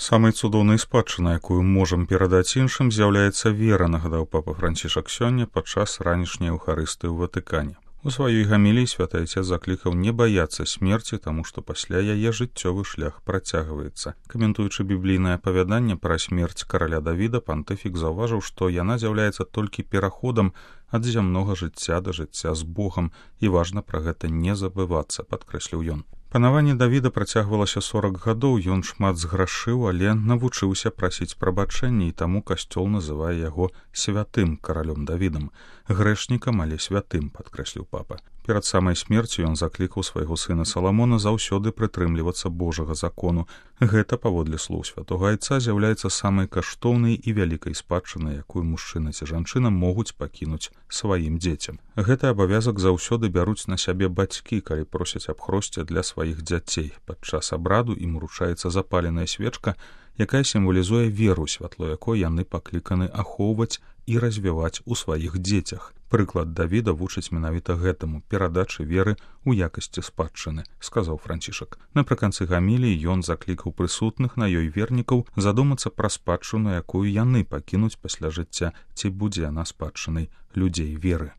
Самай цудоўнай спадчынай, якую можам перадаць іншым, з'яўляецца вера, нагадаў папа Францішак сёння падчас ранішняй эўхарыстыі ў Ватыкане. У сваёй гаміліі святы Айцец заклікаў не баяцца смерці, таму што пасля яе жыццёвы шлях працягваецца. Каментуючы біблійнае апавяданне пра смерць караля Давіда, пантыфік заўважыў, што яна з'яўляецца толькі пераходам ад зямнога жыцця да жыцця з Богам, і важна пра гэта не забывацца, падкрэсліў ён. Панаванне Давіда працягвалася 40 гадоў, ён шмат зграшыў, але навучыўся прасіць прабачэння, і таму касцёл называе яго святым каралём Давідам, грэшнікам, але святым, падкрэсліў папа. Перад самай смерцю ён заклікаў свайго сына Саламона заўсёды прытрымлівацца Божага закону. Гэта, паводле слоў святога Айца, з'яўляецца самай каштоўнай і вялікай спадчынай, якую мужчына ці жанчына могуць пакінуць сваім дзецям. Гэты абавязак заўсёды бяруць на сябе бацькі, калі просяць аб хросце для сваіх дзяцей. Падчас абраду ім уручаецца запаленая свечка, якая сімвалізуе веру, святло якой яны пакліканы ахоўваць і развіваць у сваіх дзецях. Прыклад Давіда вучыць менавіта гэтаму перадачы веры ў якасці спадчыны, сказаў Францішак. Напрыканцы гаміліі ён заклікаў прысутных на ёй вернікаў задумацца пра спадчыну, якую яны пакінуць пасля жыцця, ці будзе яна спадчынай людзей веры.